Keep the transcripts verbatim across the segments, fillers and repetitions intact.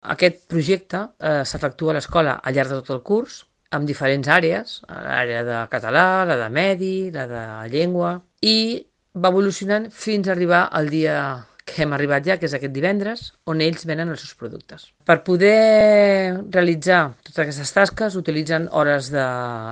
Aquest projecte eh, s'efectua a l'escola al llarg de tot el curs, amb diferents àrees, l'àrea de català, la de medi, la de llengua, i va evolucionant fins a arribar al dia que hem arribat ja, que és aquest divendres, on ells venen els seus productes. Per poder realitzar totes aquestes tasques utilitzen hores de,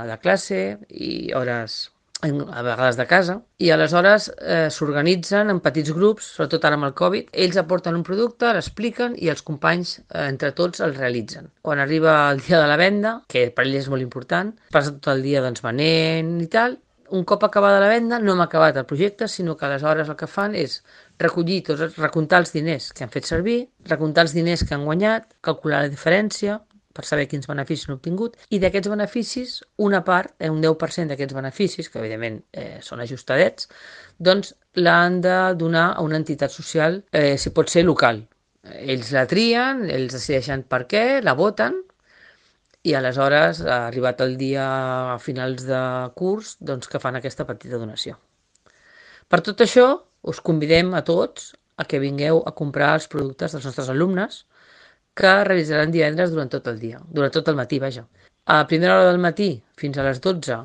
de classe i hores a vegades de casa, i aleshores eh, s'organitzen en petits grups, sobretot ara amb el Covid. Ells aporten un producte, l'expliquen i els companys eh, entre tots el realitzen. Quan arriba el dia de la venda, que per ells és molt important, passa tot el dia doncs, venent i tal. Un cop acabada la venda no hem acabat el projecte, sinó que aleshores el que fan és recollir tots, recomptar els diners que han fet servir, recomptar els diners que han guanyat, calcular la diferència per saber quins beneficis han obtingut, i d'aquests beneficis, una part, eh, un deu per cent d'aquests beneficis, que evidentment eh, són ajustadets, doncs l'han de donar a una entitat social, eh, si pot ser local. Ells la trien, ells decideixen per què, la voten, i aleshores, arribat el dia a finals de curs, doncs que fan aquesta petita donació. Per tot això, us convidem a tots a que vingueu a comprar els productes dels nostres alumnes, que realitzaran divendres durant tot el dia, durant tot el matí, vaja. A primera hora del matí fins a les dotze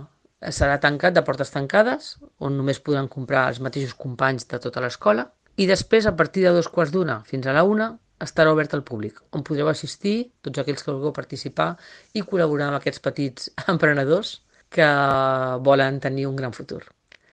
serà tancat de portes tancades, on només podran comprar els mateixos companys de tota l'escola, i després, a partir de dos quarts d'una fins a la una, estarà obert al públic, on podreu assistir tots aquells que vulgueu participar i col·laborar amb aquests petits emprenedors que volen tenir un gran futur.